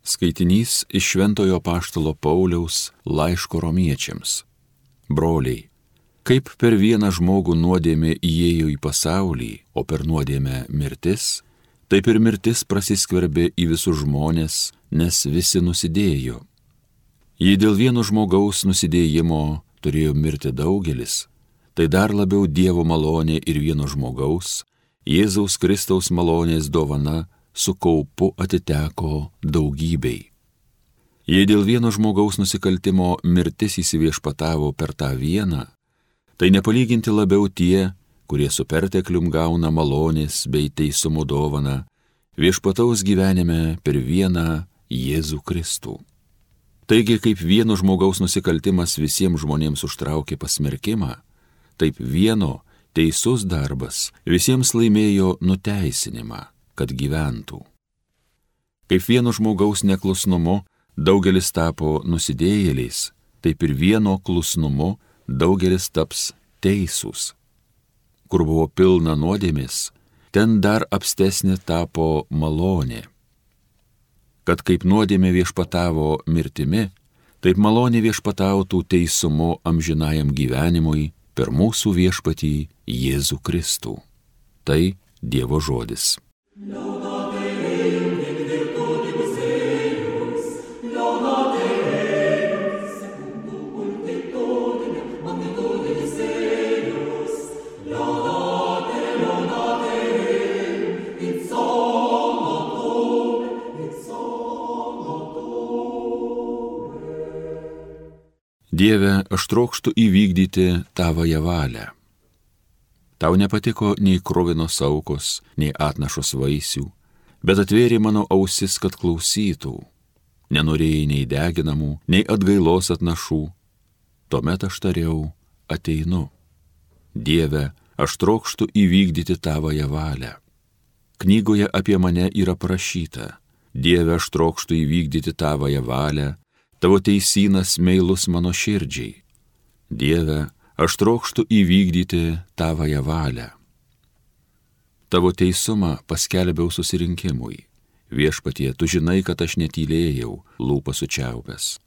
Skaitinys iš Šventojo Apaštalo Pauliaus laiško Romiečiams. Broliai, kaip per vieną žmogų nuodėmė įėjo į pasaulį, o per nuodėmę mirtis, taip ir mirtis prasiskverbė į visus žmones, nes visi nusidėjo. Jei dėl vieno žmogaus nusidėjimo turėjo mirti daugelis, tai dar labiau Dievo malonė ir vieno žmogaus, Jėzaus Kristaus malonės dovana, su kaupu atiteko daugybei. Jei dėl vieno žmogaus nusikaltimo mirtis įsiviešpatavo per tą vieną, tai nepalyginti labiau tie, kurie su perteklium gauna malonės bei teisumo dovaną, viešpataus gyvenime per vieną Jėzų Kristų. Taigi, kaip vieno žmogaus nusikaltimas visiems žmonėms užtraukė pasmerkimą, taip vieno teisus darbas visiems laimėjo nuteisinimą, kad gyventų. Kaip vieno žmogaus neklusnumu daugelis tapo nusidėjėliais, taip ir vieno klusnumu daugelis taps teisūs. Kur buvo pilna nuodėmės, ten dar apstesnė tapo malonė. Kad kaip nuodėmė viešpatavo mirtimi, taip malonė viešpatautų teisumu amžinajam gyvenimui per mūsų viešpatį Jėzų Kristų. Tai Dievo žodis. Dieve, aš trokštu įvykdyti tavąją valią. Tau nepatiko nei kruvinos aukos, nei atnašos vaisių, bet atvėrė mano ausis, kad klausytų. Nenorėjai nei deginamų, nei atgailos atnašų. Tuomet aš tariau, ateinu. Dieve, aš trokštu įvykdyti tavąją valią. Knygoje apie mane yra parašyta: Dieve, aš trokštu įvykdyti tavąją valią, tavo teisynas meilus mano širdžiai. Dieve, aš trokštu įvykdyti tavąją valią. Tavo teisumą paskelbiau susirinkimui. Viešpatie, tu žinai, kad aš netylėjau, lūpas sučiaupęs.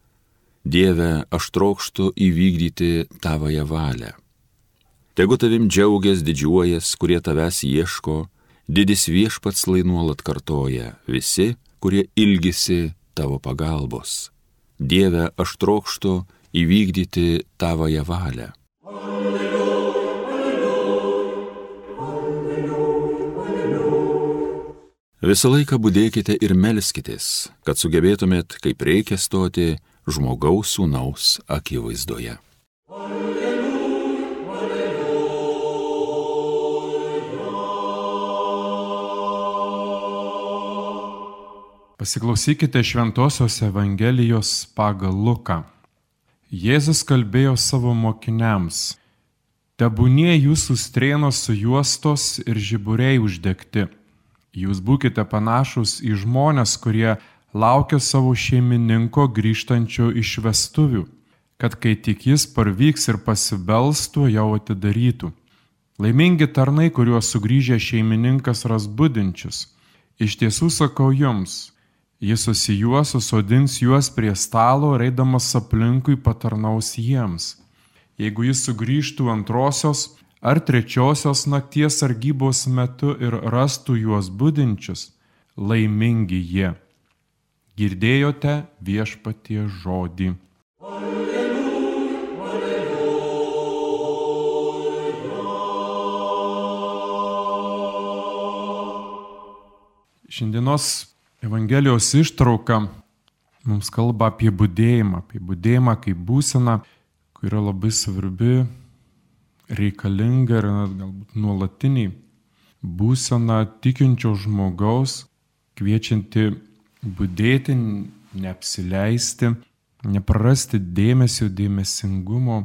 Dieve, aš trokštu įvykdyti tavąją valią. Tegu tavim džiaugias, didžiuojas, kurie tavęs ieško, didis viešpats lai nuolat kartoja, visi, kurie ilgisi tavo pagalbos. Dieve, aš trokštu įvykdyti tavąją valią. Visą laiką budėkite ir melskitės, kad sugebėtumėt, kaip reikia stoti žmogaus sūnaus akivaizdoje. Pasiklausykite Šventosios Evangelijos pagal Luką. Jėzus kalbėjo savo mokiniams: Tebūnie jūsų strėnos sujuostos ir žiburiai uždegti. Jūs būkite panašus į žmones, kurie laukia savo šeimininko grįžtančio iš vestuvių, kad kai tik jis parvyks ir pasibelstų, jau atidarytų. Laimingi tarnai, kuriuos sugrįžę šeimininkas ras budinčius. Iš tiesų sakau jums, jis susijuos, susodins juos prie stalo, eidamas aplinkui patarnaus jiems. Jeigu jis sugrįžtų antrosios ar trečiosios nakties sargybos metu ir rastų juos budinčius, laimingi jie. Girdėjote viešpaties žodį. Šiandienos Evangelijos ištrauka mums kalba apie budėjimą kaip būseną, kuri yra labai svarbi, reikalinga ir galbūt nuolatiniai būsena tikinčio žmogaus, kviečianti budėti, neapsileisti, neprarasti dėmesingumo,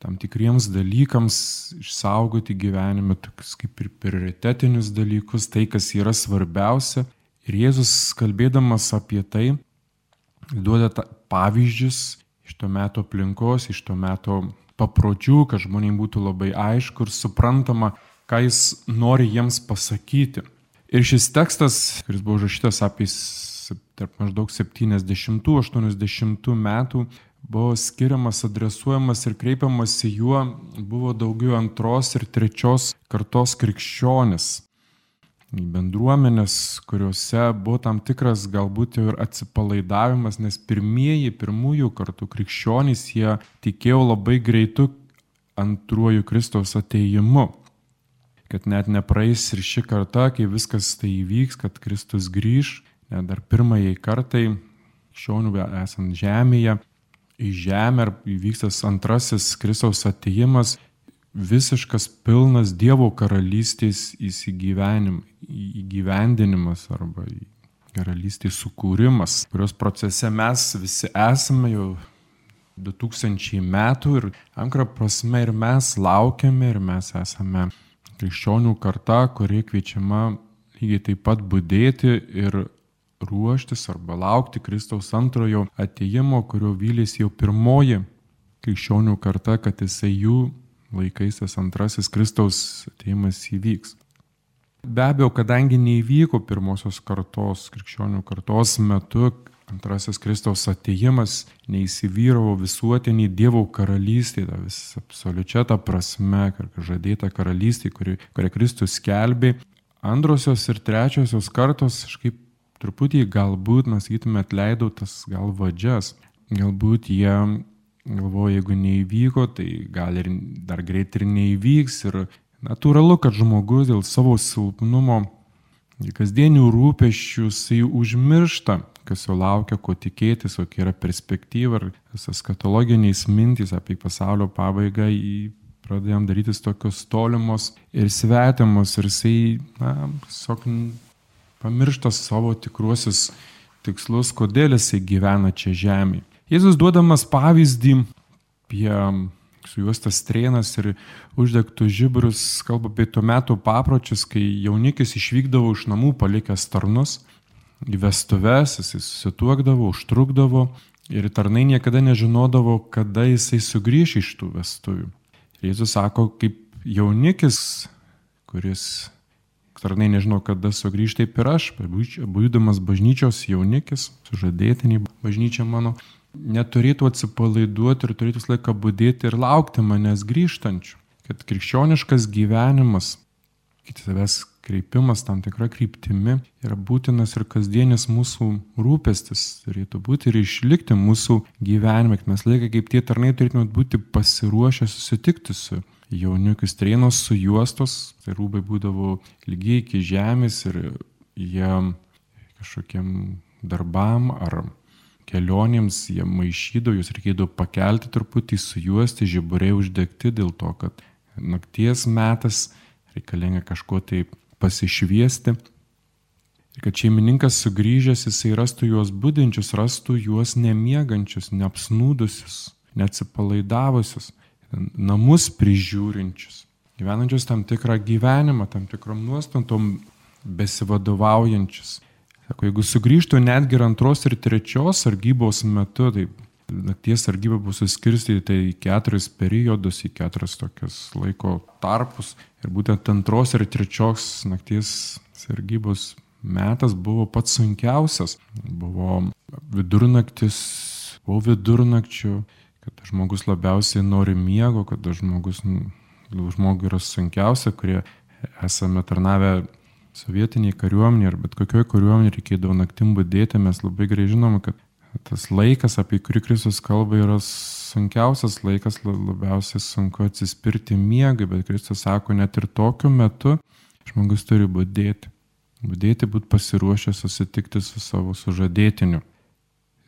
tam tikriems dalykams išsaugoti gyvenime, tokius kaip ir prioritetinius dalykus, tai, kas yra svarbiausia. Ir Jėzus, kalbėdamas apie tai, duoda pavyzdžius iš to meto aplinkos, iš to meto papročių, kad žmonėms būtų labai aišku ir suprantama, ką jis nori jiems pasakyti. Ir šis tekstas, kuris buvo užrašytas apie tarp maždaug 70-80 metų buvo skiriamas, adresuojamas ir kreipiamas į juo buvo daugiau 2. ir 3. kartos krikščionis. Bendruomenės, kuriuose buvo tam tikras galbūt ir atsipalaidavimas, nes pirmųjų kartų krikščionys jie tikėjo labai greitu 2. Kristaus atėjimu. Kad net nepraeis ir ši karta, kai viskas tai įvyks, kad Kristus grįž, net dar pirmajai kartai, krikščionių esant žemėje, į žemę įvyks tas 2. Kristaus atėjimas, visiškas pilnas Dievo karalystės įgyvendinimas arba karalystės sukūrimas, kurios procese mes visi esame jau 2000 metų ir ankrą prasme ir mes laukiame ir mes esame krikščionių karta, kuri kviečiama lygiai taip pat budėti ir ruoštis arba laukti Kristaus 2. atėjimo, kurio vylėsi jau pirmoji krikščionių karta, kad jisai jų laikais tas 2. Kristaus atėjimas įvyks. Be abejo, kadangi neįvyko pirmosios kartos, krikščionių kartos metu 2. Kristaus atėjimas, neįsivyravo visuotinį Dievo karalystė, absoliučia ta prasme, žadėta karalystė, kurią Kristus skelbė, 2. ir 3. kartos, kažkaip truputį galbūt, mes sakytume, atleido tas gal vadžias. Galbūt jie galvoju, jeigu neįvyko, tai gal ir dar greit ir neįvyks. Ir natūralu, kad žmogus dėl savo silpnumo, kasdienių rūpesčių, jisai užmiršta, kas jo laukia, ko tikėtis, kokia yra perspektyva, ir visas katologiniais mintys apie pasaulio pabaigą pradėjom darytis tokios tolimos ir svetimos, ir jisai tiesiog pamiršta savo tikruosius tikslus, kodėl jisai gyvena čia žemėje. Jėzus duodamas pavyzdį apie sujuostas strėnas ir uždegtus žiburius, kalba apie tuo metu papročius, kai jaunikis išvykdavo iš namų palikęs tarnus į vestuves, jisai susituokdavo, užtrukdavo ir tarnai niekada nežinodavo, kada jisai sugrįš iš tų vestuvių. Jėzus sako, kaip jaunikis, kuris tarnai nežino, kada sugrįš, taip ir aš, būdamas bažnyčios jaunikis, sužadėtiniai bažnyčia mano, neturėtų atsipalaiduoti ir turėtų visą laiką budėti ir laukti manęs grįžtančių. Kad krikščioniškas gyvenimas, savęs kreipimas tam tikra kryptimi yra būtinas ir kasdienis mūsų rūpestis turėtų būti ir išlikti mūsų gyvenime. Kad mes laiką kaip tie tarnai turėtume būti pasiruošę susitikti su jaunikiu. Strėnos sujuostos, tai rūbai būdavo lygiai iki žemės ir jie kažkokiem darbam ar kelionėms jie maišydavo, jūs reikėdavo pakelti truputį, sujuosti, žiburiai uždegti dėl to, kad nakties metas reikalinga kažko tai pasišviesti. Ir kad šeimininkas sugrįžęs, jisai rastų juos budinčius, rastų juos nemiegančius, neapsnūdusius, neatsipalaidavusius, namus prižiūrinčius, gyvenančius tam tikrą gyvenimą, tam tikrom nuostatom besivadovaujančius. Sako, jeigu sugrįžtų netgi 2. ir 3. sargybos metu, tai nakties sargyba bus suskirstyta į 4 periodus, į 4 tokius laiko tarpus. Ir būtent 2. ir 3. nakties sargybos metas buvo pats sunkiausias. Buvo vidurnaktis, po vidurnakčių, kad žmogus labiausiai nori miego, kad žmogui yra sunkiausia, kurie esame tarnavę sovietiniai kariuomenė ar bet kokioje kariuomenė reikėdavo naktim budėti. Mes labai gerai žinome, kad tas laikas, apie kurį Kristus kalba, yra sunkiausias laikas, labiausiai sunku atsispirti miegai, bet Kristus sako, net ir tokiu metu žmogus turi budėti. Budėti, būti pasiruošę susitikti su savo sužadėtiniu.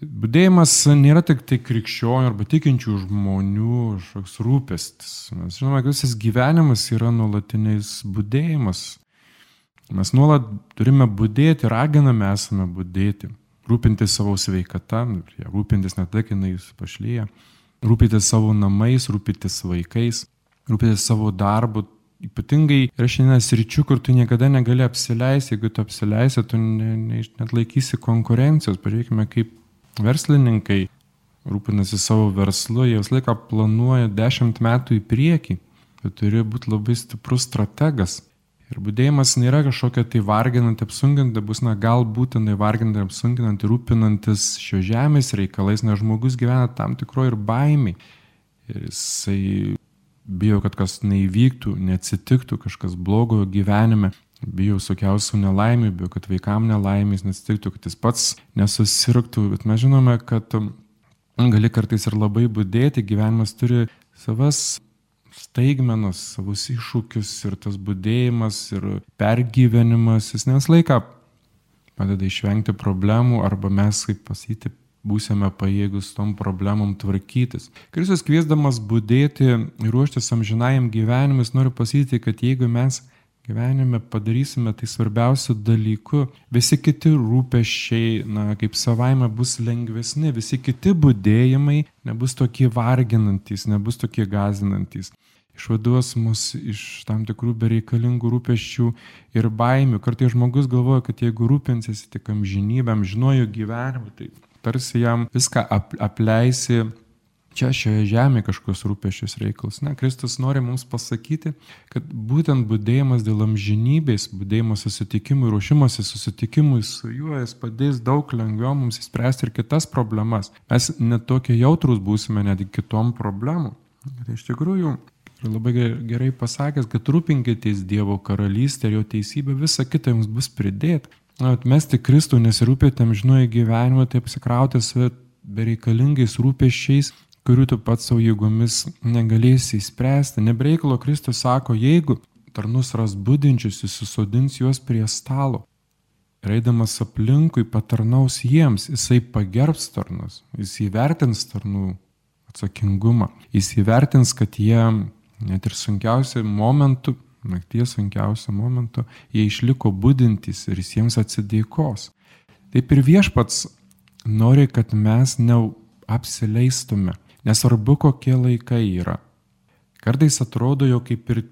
Budėjimas nėra tik tai krikščionių arba tikinčių žmonių kažkoks rūpestis. Mes žinome, kad visas gyvenimas yra nuolatinis budėjimas. Mes nuolat turime budėti, raginame esame budėti, rūpintis savo sveikata, rūpintis ne tai, kai jis pašlyja, rūpintis savo namais, rūpintis vaikais, rūpintis savo darbu. Ypatingai yra šiandien sričių, kur tu niekada negali apsileisti, jeigu tu apsileisi, tu net laikysi konkurencijos. Pažiūrėkime, kaip verslininkai rūpinasi savo verslu, jie visą laiką planuoja 10 metų į priekį, bet turi būti labai stiprus strategas. Ir budėjimas nėra kažkokia tai varginanti, apsunkinanti, bus gal būtinai varginanti, apsunkinanti, rūpinantis šio žemės reikalais, nes žmogus gyvena tam tikro ir baimiai. Ir jisai bijo, kad kas neįvyktų, neatsitiktų, kažkas blogo gyvenime. Bijo sukiausių nelaimių, bijo, kad vaikam nelaimės neatsitiktų, kad jis pats nesusirgtų. Bet mes žinome, kad gali kartais ir labai budėti, gyvenimas turi savas staigmenas, savus iššūkius ir tas budėjimas ir pergyvenimas, jis ne visą laiką padeda išvengti problemų arba mes, kaip pasakyti, būsime pajėgus tom problemom tvarkytis. Kristus kviesdamas budėti ir ruoštis amžinajam gyvenimui, noriu pasakyti, kad jeigu mes gyvenime padarysime tai svarbiausių dalykų, visi kiti rūpesčiai, kaip savaime bus lengvesni, visi kiti budėjimai nebus tokie varginantys, nebus tokie gąsdinantys. Išvaduos mus iš tam tikrų bereikalingų rūpesčių ir baimių. Kartais žmogus galvoja, kad jeigu rūpinsiesi tik amžinybę, amžinuoju gyvenimu, tai tarsi jam viską apleisi čia šioje žemėje kažkokios rūpesčius reikalus. Kristus nori mums pasakyti, kad būtent budėjimas dėl amžinybės, budėjimas susitikimui, ruošimas susitikimui su juo, jis padės daug lengviau mums įspręsti ir kitas problemas. Mes net tokie jautrus būsime net kitom problemom. Tai iš tikrųjų labai gerai pasakęs, kad rūpinkitės Dievo karalystę ir jo teisybę, visa kita jums bus pridėta. Atmesti Kristų, nesirūpėti amžinuoju gyvenimu, tai apsikrauti save bereikalingais rūpesčiais, kurių tu pats savo jėgomis negalėsi įspręsti. Nebreikalo Kristus sako, jeigu tarnus ras budinčius, jis susodins juos prie stalo. Ir eidamas aplinkui patarnaus jiems, jisai pagerbs tarnus, jis įvertins tarnų atsakingumą, jis įvertins, kad jie net ir sunkiausiu momentu, nakties sunkiausiu momentu, jie išliko budintys ir jis jiems atsidėkos. Taip ir Viešpats nori, kad mes neapsileistume. Nesvarbu, kokie laikai yra. Kartais atrodo, jo kaip ir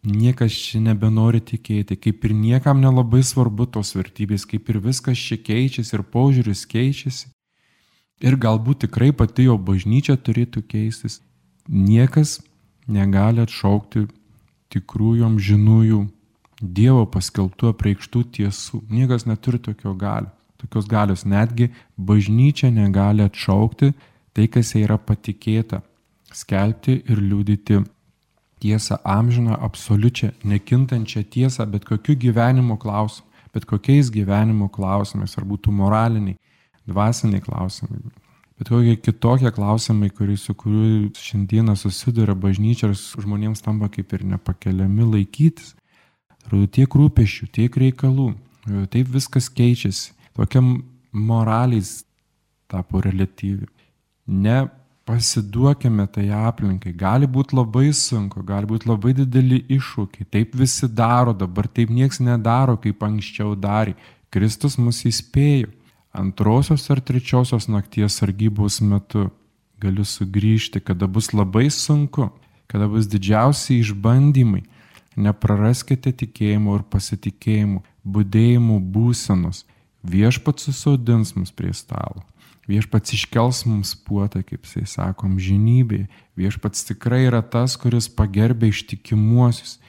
niekas čia nebenori tikėti, kaip ir niekam nelabai svarbu tos vertybės, kaip ir viskas čia keičiasi ir požiūris keičiasi. Ir galbūt tikrai pati jo bažnyčia turėtų keistis. Niekas negali atšaukti tikrųjų amžinųjų Dievo paskelbtų apreikštų tiesų. Niekas neturi tokios galios. Netgi bažnyčia negali atšaukti tai, kas jai yra patikėta, skelbti ir liudyti tiesą amžiną, absoliučią, nekintančią tiesą, bet kokiu gyvenimo klausimu, bet kokiais gyvenimo klausimais, ar būtų moraliniai, dvasiniai klausimai, bet kokie kitokie klausimai, su kuriuo šiandieną susiduria bažnyčia ir žmonėms tampa kaip ir nepakeliami laikytis. Tiek rūpesčių, tiek reikalų, taip viskas keičiasi, tokia moraliais tapo reliatyvi. Nepasiduokime tai aplinkai, gali būti labai sunku, gali būti labai dideli iššūkiai, taip visi daro, dabar taip nieks nedaro, kaip anksčiau darė. Kristus mus įspėjo, 2. ar 3. nakties sargybos metu galiu sugrįžti, kada bus labai sunku, kada bus didžiausi išbandymai. Nepraraskite tikėjimo ir pasitikėjimo, budėjimo būsenos. Viešpats susodins mus prie stalo. Viešpats iškels mums puotą, kaip jisai sako, amžinybėje. Viešpats tikrai yra tas, kuris pagerbia ištikimuosius.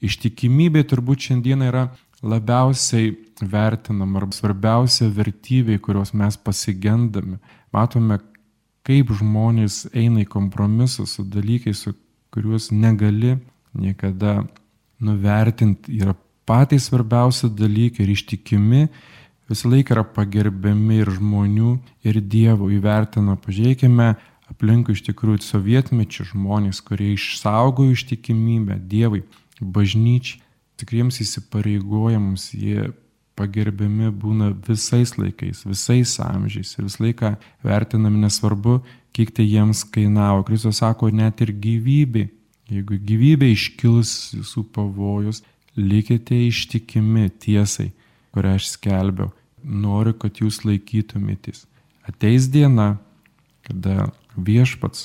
Ištikimybė turbūt šiandien yra labiausiai vertinama arba svarbiausia vertybė, kurios mes pasigendame. Matome, kaip žmonės eina į kompromisus su dalykais, su kuriuos negali niekada nuvertinti. Yra patys svarbiausi dalykai ir ištikimi visą laiką yra pagerbiami ir žmonių, ir Dievo įvertina. Pažiūrėkime aplinkui iš tikrųjų sovietmečių žmonės, kurie išsaugojo ištikimybę Dievui, bažnyčiai, tikriems įsipareigojimams, jie pagerbiami būna visais laikais, visais amžiais ir visą laiką vertinami, nesvarbu, kiek tai jiems kainavo. Kristus sako, net ir gyvybė, jeigu gyvybė iškils jūsų pavojus, likite ištikimi tiesai, kurią aš skelbiau. Noriu, kad jūs laikytumėtės. Ateis diena, kada Viešpats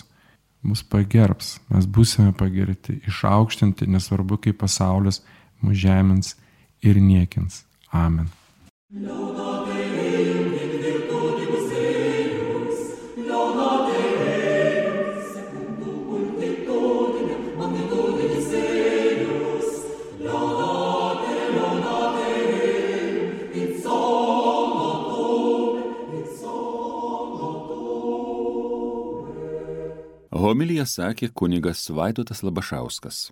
mus pagerbs, mes būsime pagerti, išaukštinti, nesvarbu, kaip pasaulis mus žemins ir niekins. Amen. Homiliją sakė kunigas Vaidotas Labašauskas.